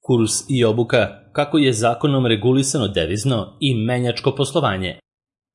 Kurs i obuka, kako je zakonom regulisano devizno i menjačko poslovanje.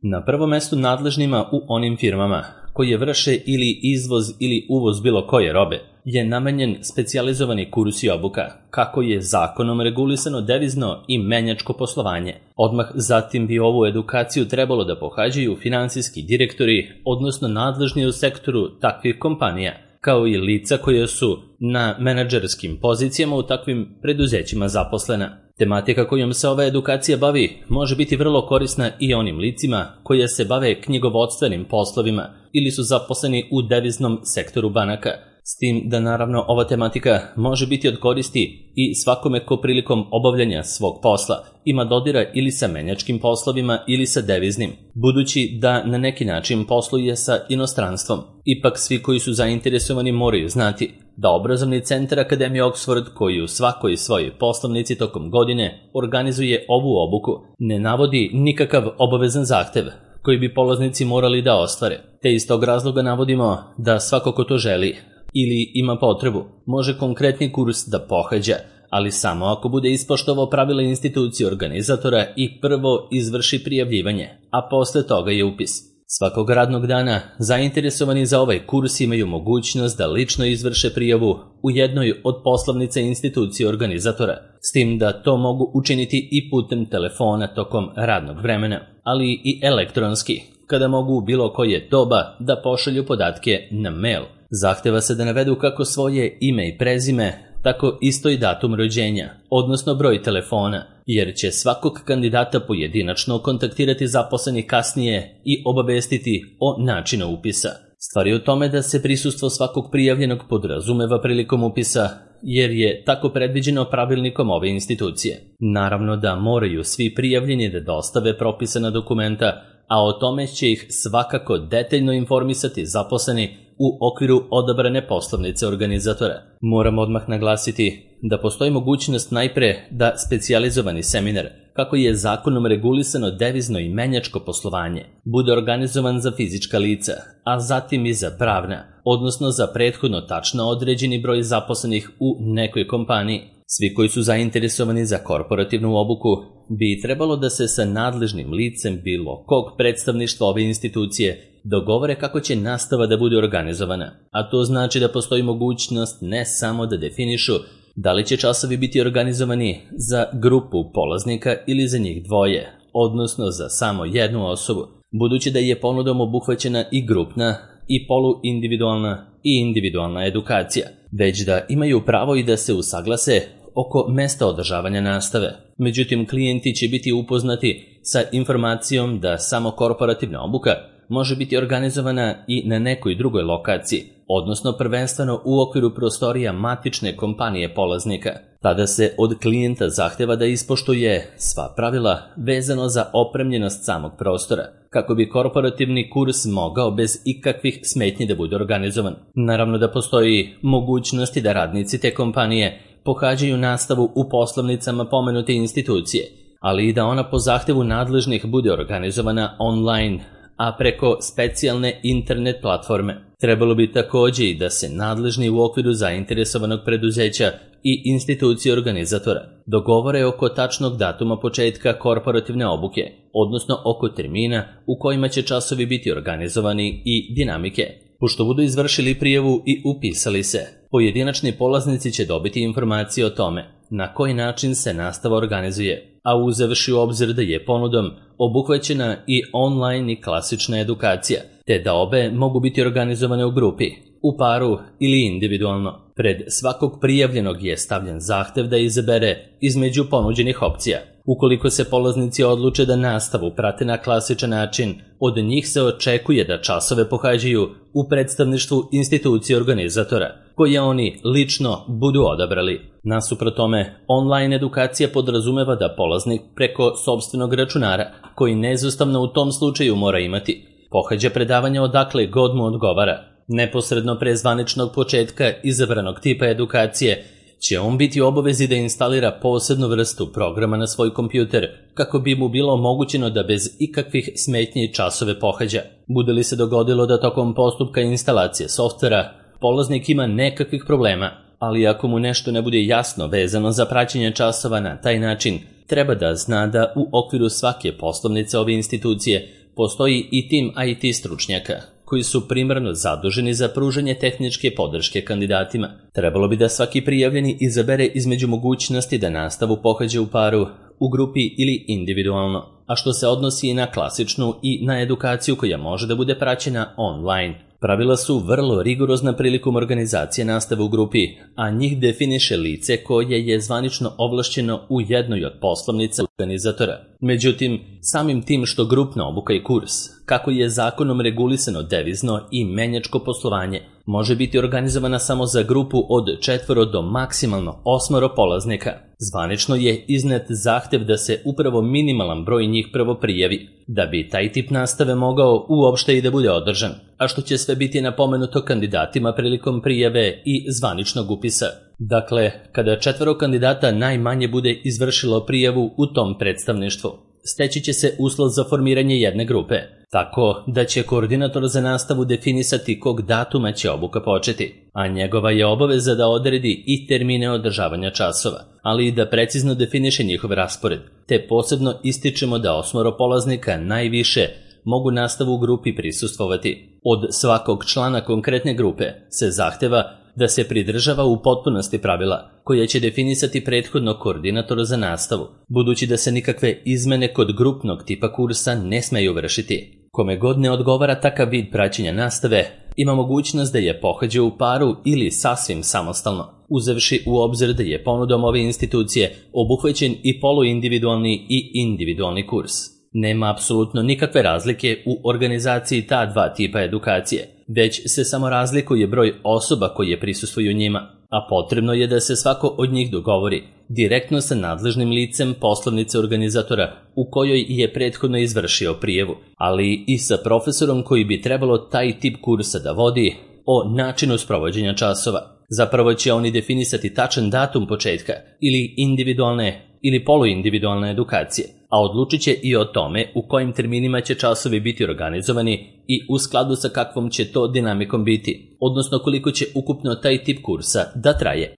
Na prvom mestu nadležnima u onim firmama koje vrše ili izvoz ili uvoz bilo koje robe je namenjen specijalizovani kurs i obuka, kako je zakonom regulisano devizno i menjačko poslovanje. Odmah zatim bi ovu edukaciju trebalo da pohađaju finansijski direktori, odnosno nadležni u sektoru takvih kompanija, kao i lica koje su na menadžerskim pozicijama u takvim preduzećima zaposlena. Tematika kojom se ova edukacija bavi može biti vrlo korisna i onim licima koje se bave knjigovodstvenim poslovima ili su zaposleni u deviznom sektoru banaka, s tim da naravno ova tematika može biti od koristi i svakome ko prilikom obavljanja svog posla ima dodira ili sa menjačkim poslovima ili sa deviznim, budući da na neki način posluje sa inostranstvom. Ipak svi koji su zainteresovani moraju znati da obrazovni centar Akademije Oxford, koji u svakoj svojoj poslovnici tokom godine organizuje ovu obuku, ne navodi nikakav obavezan zahtev koji bi polaznici morali da ostvare, te iz tog razloga navodimo da svako ko to želi ili ima potrebu može konkretni kurs da pohađa, ali samo ako bude ispoštovao pravila institucije organizatora i prvo izvrši prijavljivanje, a posle toga je upis. Svakog radnog dana zainteresovani za ovaj kurs imaju mogućnost da lično izvrše prijavu u jednoj od poslovnica institucije organizatora, s tim da to mogu učiniti i putem telefona tokom radnog vremena, ali i elektronski, kada mogu u bilo koje doba da pošalju podatke na mail. Zahteva se da navedu kako svoje ime i prezime, tako isto i datum rođenja, odnosno broj telefona, jer će svakog kandidata pojedinačno kontaktirati zaposleni kasnije i obavestiti o načinu upisa. Stvar je u tome da se prisustvo svakog prijavljenog podrazumeva prilikom upisa, jer je tako predviđeno pravilnikom ove institucije. Naravno da moraju svi prijavljeni da dostave propisana dokumenta, a o tome će ih svakako detaljno informisati zaposleni u okviru odabrane poslovnice organizatora. Moram odmah naglasiti da postoji mogućnost najpre da specijalizovani seminar, kako je zakonom regulisano devizno i menjačko poslovanje, bude organizovan za fizička lica, a zatim i za pravna, odnosno za prethodno tačno određeni broj zaposlenih u nekoj kompaniji. Svi koji su zainteresovani za korporativnu obuku bi trebalo da se sa nadležnim licem bilo kog predstavništva ove institucije dogovore kako će nastava da bude organizovana, a to znači da postoji mogućnost ne samo da definišu da li će časovi biti organizovani za grupu polaznika ili za njih dvoje, odnosno za samo jednu osobu, budući da je ponudom obuhvaćena i grupna i poluindividualna i individualna edukacija, već da imaju pravo i da se usaglase oko mesta održavanja nastave. Međutim, klijenti će biti upoznati sa informacijom da samo korporativna obuka može biti organizovana i na nekoj drugoj lokaciji, odnosno prvenstveno u okviru prostorija matične kompanije polaznika. Tada se od klijenta zahteva da ispoštuje sva pravila vezano za opremljenost samog prostora, kako bi korporativni kurs mogao bez ikakvih smetnji da bude organizovan. Naravno da postoji mogućnosti da radnici te kompanije pohađaju nastavu u poslovnicama pomenute institucije, ali i da ona po zahtevu nadležnih bude organizovana online, a preko specijalne internet platforme. Trebalo bi takođe i da se nadležni u okviru zainteresovanog preduzeća i institucije organizatora dogovore oko tačnog datuma početka korporativne obuke, odnosno oko termina u kojima će časovi biti organizovani i dinamike. Pošto budu izvršili prijavu i upisali se, pojedinačni polaznici će dobiti informacije o tome na koji način se nastava organizuje, a uzevši u obzir da je ponudom obuhvaćena i online i klasična edukacija, te da obe mogu biti organizovane u grupi, u paru ili individualno. Pred svakog prijavljenog je stavljen zahtev da izabere između ponuđenih opcija. Ukoliko se polaznici odluče da nastavu prate na klasičan način, od njih se očekuje da časove pohađaju u predstavništvu institucije organizatora, koje oni lično budu odabrali. Nasuprot tome, online edukacija podrazumeva da polaznik preko sopstvenog računara, koji neizostavno u tom slučaju mora imati, pohađa predavanja odakle god mu odgovara. Neposredno pre zvaničnog početka izabranog tipa edukacije će on biti u obavezi da instalira posebnu vrstu programa na svoj kompjuter kako bi mu bilo omogućeno da bez ikakvih smetnji časove pohađa. Bude li se dogodilo da tokom postupka instalacije softvera polaznik ima nekakvih problema, ali ako mu nešto ne bude jasno vezano za praćenje časova na taj način, treba da zna da u okviru svake poslovnice ove institucije postoji i tim IT stručnjaka koji su primarno zaduženi za pružanje tehničke podrške kandidatima. Trebalo bi da svaki prijavljeni izabere između mogućnosti da nastavu pohađa u paru, u grupi ili individualno, a što se odnosi i na klasičnu i na edukaciju koja može da bude praćena online. Pravila su vrlo rigorozna prilikom organizacije nastave u grupi, a njih definiše lice koje je zvanično ovlašćeno u jednoj od poslovnica organizatora. Međutim, samim tim što grupna obuka i kurs, kako je zakonom regulisano devizno i menjačko poslovanje, može biti organizovana samo za grupu od 4 do maksimalno 8 polaznika. Zvanično je iznet zahtev da se upravo minimalan broj njih prvo prijavi, da bi taj tip nastave mogao uopšte i da bude održan, a što će sve biti napomenuto kandidatima prilikom prijave i zvaničnog upisa. Dakle, kada 4 kandidata najmanje bude izvršilo prijavu u tom predstavništvu, steći će se uslov za formiranje jedne grupe, tako da će koordinator za nastavu definisati kog datuma će obuka početi, a njegova je obaveza da odredi i termine održavanja časova, ali i da precizno definiše njihov raspored, te posebno ističemo da 8 polaznika najviše mogu nastavu u grupi prisustvovati. Od svakog člana konkretne grupe se zahteva da se pridržava u potpunosti pravila koje će definisati prethodno koordinator za nastavu, budući da se nikakve izmene kod grupnog tipa kursa ne smeju vršiti. Kome god ne odgovara takav vid praćenja nastave, ima mogućnost da je pohađa u paru ili sasvim samostalno, uzevši u obzir da je ponudom ove institucije obuhvaćen i poluindividualni i individualni kurs. Nema apsolutno nikakve razlike u organizaciji ta dva tipa edukacije, već se samo razlikuje broj osoba koje prisustvuju njima, a potrebno je da se svako od njih dogovori direktno sa nadležnim licem poslovnice organizatora u kojoj je prethodno izvršio prijavu, ali i sa profesorom koji bi trebalo taj tip kursa da vodi o načinu sprovođenja časova. Zapravo će oni definisati tačan datum početka ili individualne ili poluindividualne edukacije, a odlučit će i o tome u kojim terminima će časovi biti organizovani i u skladu sa kakvom će to dinamikom biti, odnosno koliko će ukupno taj tip kursa da traje.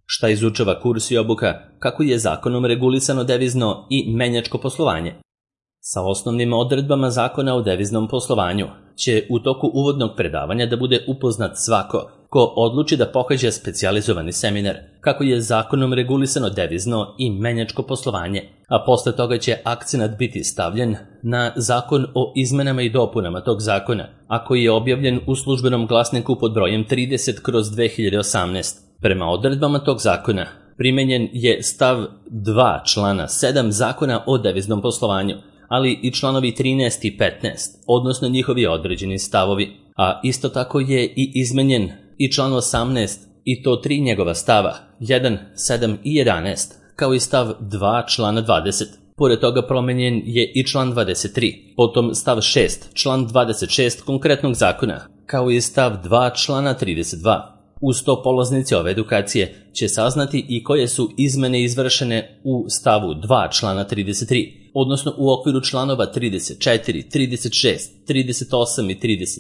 Šta izučava kurs i obuka, kako je zakonom regulisano devizno i menjačko poslovanje? Sa osnovnim odredbama zakona o deviznom poslovanju će u toku uvodnog predavanja da bude upoznat svako ko odluči da pohađa specijalizovani seminar, kako je zakonom regulisano devizno i menjačko poslovanje, a posle toga će akcenat biti stavljen na zakon o izmenama i dopunama tog zakona, a koji je objavljen u Službenom glasniku pod brojem 30/2018. Prema odredbama tog zakona primenjen je stav 2 člana 7 zakona o deviznom poslovanju, ali i članovi 13 i 15, odnosno njihovi određeni stavovi, a isto tako je i izmenjen i član 18 i to 3 njegova stava, 1, 7 i 11, kao i stav 2 člana 20. Pored toga promenjen je i član 23, potom stav 6, član 26 konkretnog zakona, kao i stav 2 člana 32. Uz to polaznici ove edukacije će saznati i koje su izmene izvršene u stavu 2 člana 33, odnosno u okviru članova 34, 36, 38 i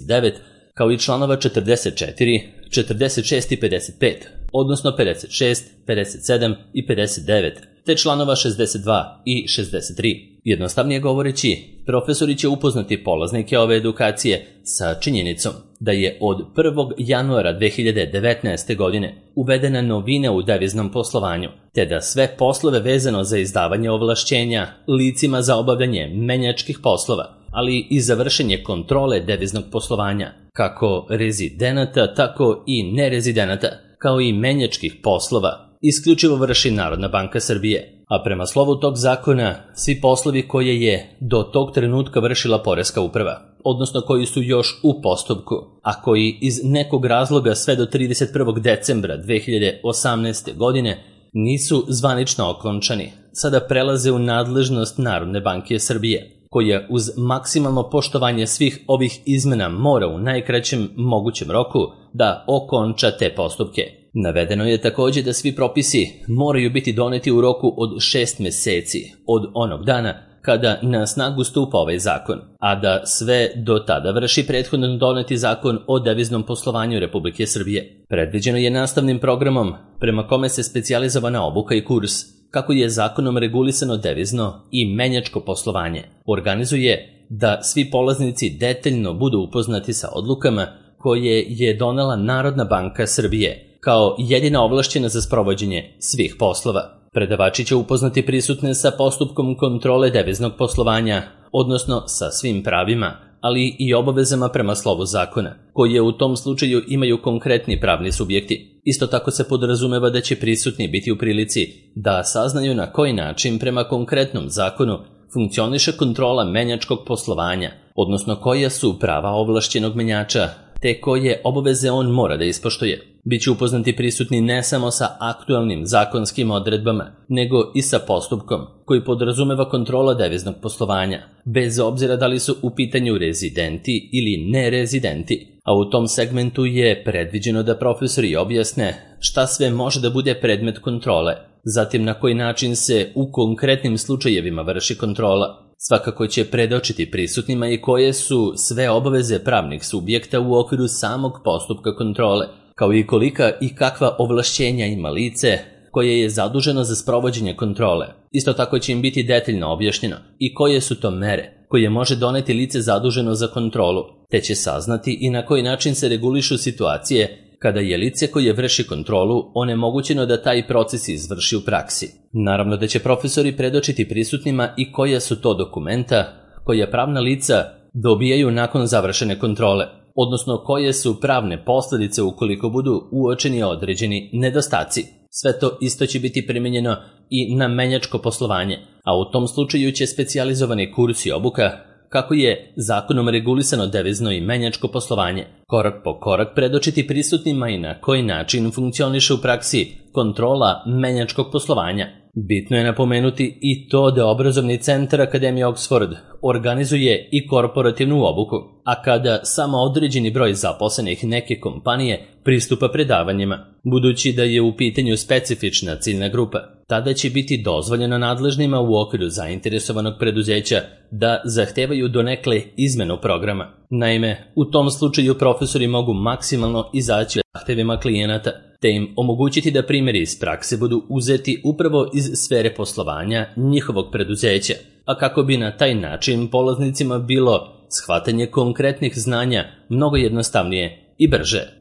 39, kao i članova 44, 46 i 55, odnosno 56, 57 i 59, te članova 62 i 63. Jednostavnije govoreći, profesori će upoznati polaznike ove edukacije sa činjenicom da je od 1. januara 2019. godine uvedena novina u deviznom poslovanju, te da sve poslove vezano za izdavanje ovlašćenja licima za obavljanje menjačkih poslova, ali i za vršenje kontrole deviznog poslovanja, kako rezidenata, tako i nerezidenata, kao i menjačkih poslova, isključivo vrši Narodna banka Srbije, a prema slovu tog zakona svi poslovi koje je do tog trenutka vršila Poreska uprava, odnosno koji su još u postupku, a koji iz nekog razloga sve do 31. decembra 2018. godine nisu zvanično okončani, sada prelaze u nadležnost Narodne banke Srbije, koja uz maksimalno poštovanje svih ovih izmena mora u najkraćem mogućem roku da okonča te postupke. Navedeno je također da svi propisi moraju biti doneti u roku od 6 meseci od onog dana kada na snagu stupa ovaj zakon, a da sve do tada vrši prethodno doneti zakon o deviznom poslovanju Republike Srbije. Predviđeno je nastavnim programom prema kome se specijalizovana obuka i kurs, kako je zakonom regulisano devizno i menjačko poslovanje, organizuje da svi polaznici detaljno budu upoznati sa odlukama koje je donela Narodna banka Srbije kao jedina ovlašćena za sprovođenje svih poslova. Predavači će upoznati prisutne sa postupkom kontrole deviznog poslovanja, odnosno sa svim pravima, ali i obavezama prema slovu zakona, koje u tom slučaju imaju konkretni pravni subjekti. Isto tako se podrazumeva da će prisutni biti u prilici da saznaju na koji način prema konkretnom zakonu funkcioniše kontrola menjačkog poslovanja, odnosno koja su prava ovlašćenog menjača, te koje obaveze on mora da ispoštuje. Biće upoznati prisutni ne samo sa aktualnim zakonskim odredbama, nego i sa postupkom koji podrazumeva kontrola deviznog poslovanja, bez obzira da li su u pitanju rezidenti ili nerezidenti, a u tom segmentu je predviđeno da profesori objasne šta sve može da bude predmet kontrole, zatim na koji način se u konkretnim slučajevima vrši kontrola. Svakako će predočiti prisutnima i koje su sve obaveze pravnih subjekta u okviru samog postupka kontrole, kao i kolika i kakva ovlašćenja ima lice koje je zaduženo za sprovođenje kontrole. Isto tako će im biti detaljno objašnjeno i koje su to mere koje može doneti lice zaduženo za kontrolu, te će saznati i na koji način se regulišu situacije kada je lice koje vrši kontrolu onemogućeno da taj proces izvrši u praksi. Naravno da će profesori predočiti prisutnima i koja su to dokumenta koja pravna lica dobijaju nakon završene kontrole, odnosno koje su pravne posljedice ukoliko budu uočeni određeni nedostaci. Sve to isto će biti primijenjeno i na menjačko poslovanje, a u tom slučaju će specijalizovani kurs i obuka, kako je zakonom regulisano devizno i menjačko poslovanje, korak po korak predočiti prisutnima i na koji način funkcioniše u praksi kontrola menjačkog poslovanja. Bitno je napomenuti i to da obrazovni centar Akademije Oxford organizuje i korporativnu obuku, a kada samo određeni broj zaposlenih neke kompanije pristupa predavanjima, budući da je u pitanju specifična ciljna grupa, tada će biti dozvoljeno nadležnima u okviru zainteresovanog preduzeća da zahtevaju donekle izmenu programa. Naime, u tom slučaju profesori mogu maksimalno izaći zahtevima klijenata, te im omogućiti da primjeri iz prakse budu uzeti upravo iz sfere poslovanja njihovog preduzeća, a kako bi na taj način polaznicima bilo shvatanje konkretnih znanja mnogo jednostavnije i brže.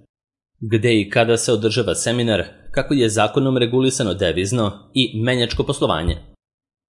Gde i kada se održava seminar, kako je zakonom regulisano devizno i menjačko poslovanje?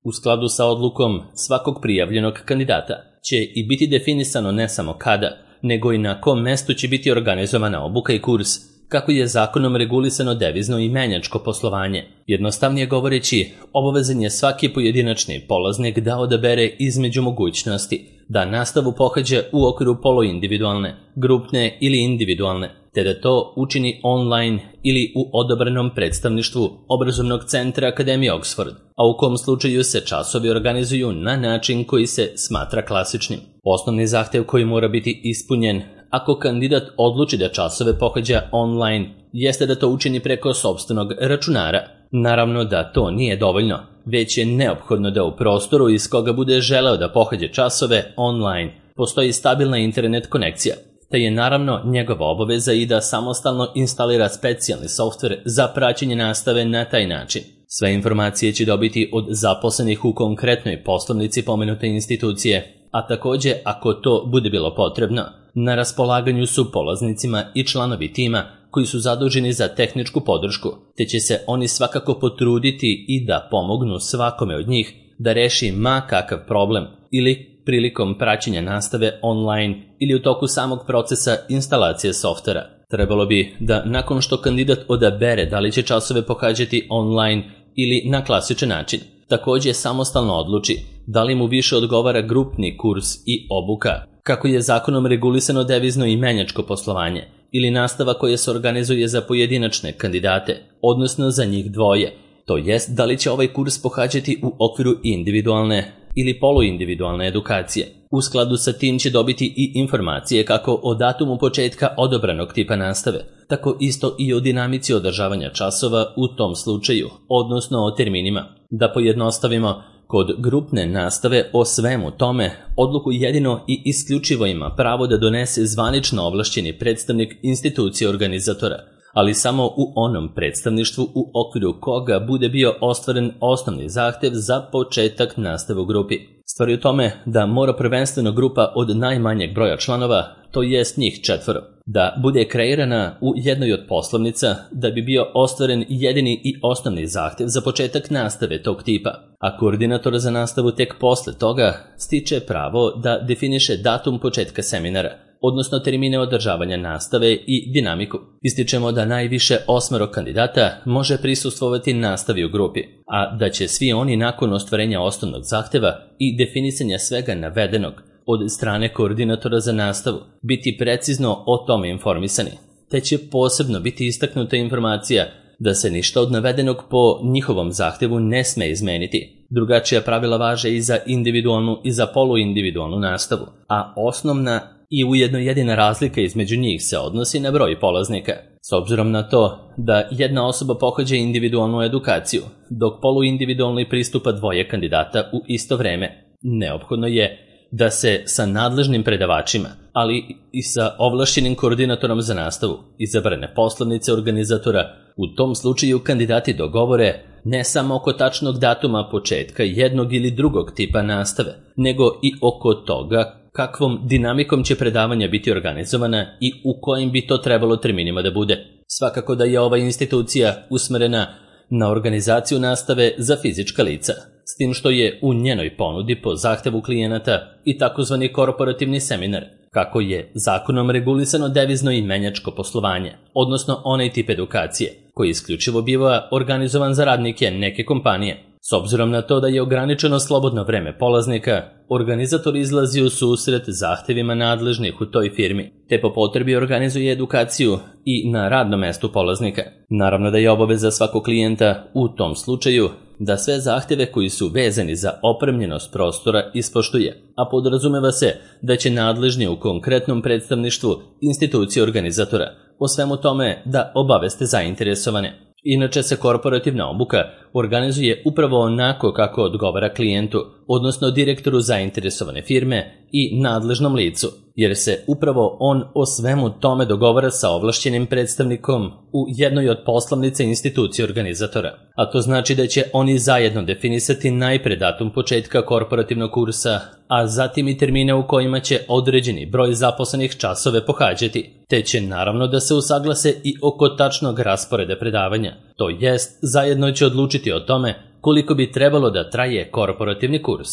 U skladu sa odlukom svakog prijavljenog kandidata će i biti definisano ne samo kada, nego i na kom mestu će biti organizovana obuka i kurs, kako je zakonom regulisano devizno i menjačko poslovanje. Jednostavnije govoreći, obavezan je svaki pojedinačni polaznik da odabere između mogućnosti da nastavu pohađa u okviru poluindividualne, grupne ili individualne, te da to učini online ili u odabranom predstavništvu obrazovnog centra Akademije Oxford, a u kom slučaju se časovi organizuju na način koji se smatra klasičnim. Osnovni zahtev koji mora biti ispunjen ako kandidat odluči da časove pohađa online jeste da to učini preko sopstvenog računara. Naravno da to nije dovoljno, već je neophodno da u prostoru iz koga bude želeo da pohađa časove online postoji stabilna internet konekcija, te je naravno njegova obaveza i da samostalno instalira specijalni softver za praćenje nastave na taj način. Sve informacije će dobiti od zaposlenih u konkretnoj poslovnici pomenute institucije, a također, ako to bude bilo potrebno, na raspolaganju su polaznicima i članovi tima koji su zaduženi za tehničku podršku, te će se oni svakako potruditi i da pomognu svakome od njih da reši ma kakav problem ili prilikom praćenja nastave online ili u toku samog procesa instalacije softvera. Trebalo bi da nakon što kandidat odabere da li će časove pohađati online ili na klasičan način, također samostalno odluči da li mu više odgovara grupni kurs i obuka, kako je zakonom regulisano devizno i menjačko poslovanje, ili nastava koja se organizuje za pojedinačne kandidate, odnosno za njih dvoje, to jest da li će ovaj kurs pohađati u okviru individualne ili poluindividualne edukacije. U skladu sa tim će dobiti i informacije kako o datumu početka odabranog tipa nastave, tako isto i o dinamici održavanja časova u tom slučaju, odnosno o terminima. Da pojednostavimo, Kod grupne nastave o svemu tome odluku jedino i isključivo ima pravo da donese zvanično ovlašćeni predstavnik institucije organizatora, ali samo u onom predstavništvu u okviru koga bude bio ostvaren osnovni zahtev za početak nastave u grupi. Stvar je u tome da mora prvenstveno grupa od najmanjeg broja članova, to jest njih 4, da bude kreirana u jednoj od poslovnica da bi bio ostvaren jedini i osnovni zahtev za početak nastave tog tipa, a koordinator za nastavu tek posle toga stiče pravo da definiše datum početka seminara, odnosno termine održavanja nastave i dinamiku. Ističemo da najviše 8 kandidata može prisustvovati nastavi u grupi, a da će svi oni nakon ostvarenja osnovnog zahteva i definisanja svega navedenog od strane koordinatora za nastavu biti precizno o tome informisani, te će posebno biti istaknuta informacija da se ništa od navedenog po njihovom zahtevu ne sme izmeniti. Drugačija pravila važe i za individualnu i za poluindividualnu nastavu, a osnovna i ujedno jedina razlika između njih se odnosi na broj polaznika. S obzirom na to da jedna osoba pohađa individualnu edukaciju, dok poluindividualni pristupa 2 kandidata u isto vreme, neophodno je da se sa nadležnim predavačima, ali i sa ovlašćenim koordinatorom za nastavu izabrane poslovnice organizatora u tom slučaju kandidati dogovore ne samo oko tačnog datuma početka jednog ili drugog tipa nastave, nego i oko toga kakvom dinamikom će predavanja biti organizovana i u kojim bi to trebalo terminima da bude. Svakako da je ova institucija usmerena na organizaciju nastave za fizička lica, s tim što je u njenoj ponudi po zahtevu klijenata i takozvani korporativni seminar, kako je zakonom regulisano devizno i menjačko poslovanje, odnosno onaj tip edukacije, koji isključivo biva organizovan za radnike neke kompanije. S obzirom na to da je ograničeno slobodno vreme polaznika, organizator izlazi u susret zahtevima nadležnih u toj firmi, te po potrebi organizuje edukaciju i na radnom mestu polaznika. Naravno da je obaveza svakog klijenta u tom slučaju da sve zahteve koji su vezani za opremljenost prostora ispoštuje, a podrazumeva se da će nadležni u konkretnom predstavništvu institucije organizatora o svemu tome da obaveste zainteresovane. Inače se korporativna obuka organizuje upravo onako kako odgovara klijentu, odnosno direktoru zainteresovane firme i nadležnom licu, jer se upravo on o svemu tome dogovara sa ovlašćenim predstavnikom u jednoj od poslovnica institucije organizatora. A to znači da će oni zajedno definisati najpre datum početka korporativnog kursa, a zatim i termine u kojima će određeni broj zaposlenih časove pohađati, te će naravno da se usaglase i oko tačnog rasporeda predavanja, to jest zajedno će odlučiti o tome koliko bi trebalo da traje korporativni kurs.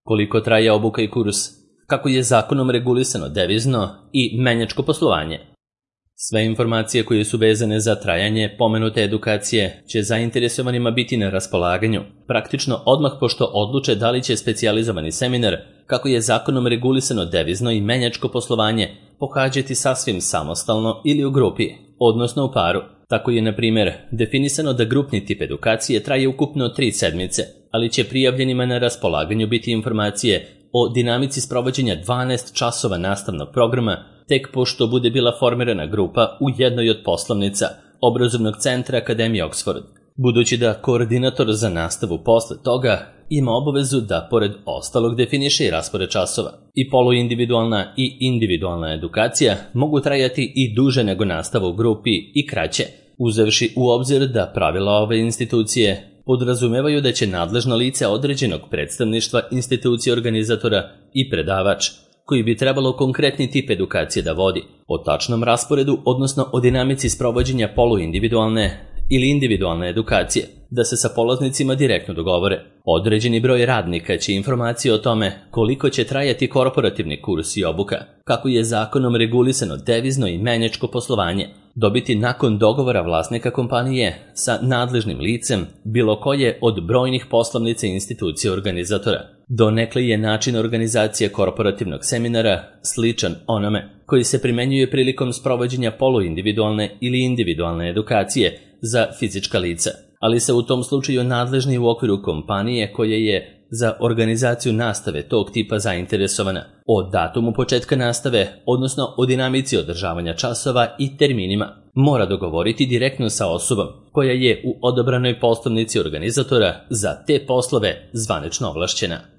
Koliko traje obuka i kurs, kako je zakonom regulisano devizno i menjačko poslovanje. Sve informacije koje su vezane za trajanje pomenute edukacije će zainteresovanima biti na raspolaganju, praktično odmah pošto odluče da li će specijalizovani seminar, kako je zakonom regulisano devizno i menjačko poslovanje, pohađati sasvim samostalno ili u grupi, odnosno u paru. Tako je, na primjer, definisano da grupni tip edukacije traje ukupno 3 sedmice, ali će prijavljenima na raspolaganju biti informacije o dinamici sprovođenja 12 časova nastavnog programa tek pošto bude bila formirana grupa u jednoj od poslovnica obrazovnog centra Akademije Oxford, budući da koordinator za nastavu posle toga ima obavezu da pored ostalog definiše i raspored časova. I poluindividualna i individualna edukacija mogu trajati i duže nego nastava u grupi i kraće, uzevši u obzir da pravila ove institucije podrazumevaju da će nadležno lice određenog predstavništva institucije organizatora i predavač, koji bi trebalo konkretni tip edukacije da vodi, o tačnom rasporedu, odnosno o dinamici sprovođenja poluindividualne ili individualne edukacije, da se sa polaznicima direktno dogovore. Određeni broj radnika će informacije o tome koliko će trajati korporativni kurs i obuka, kako je zakonom regulisano devizno i menjačko poslovanje, dobiti nakon dogovora vlasnika kompanije sa nadležnim licem bilo koje od brojnih poslovnica institucije organizatora. Donekle je način organizacije korporativnog seminara sličan onome koji se primenjuje prilikom sprovođenja poluindividualne ili individualne edukacije za fizička lica, ali se u tom slučaju nadležni u okviru kompanije koja je za organizaciju nastave tog tipa zainteresovana, o datumu početka nastave, odnosno o dinamici održavanja časova i terminima, mora dogovoriti direktno sa osobom koja je u odabranoj poslovnici organizatora za te poslove zvanično ovlašćena.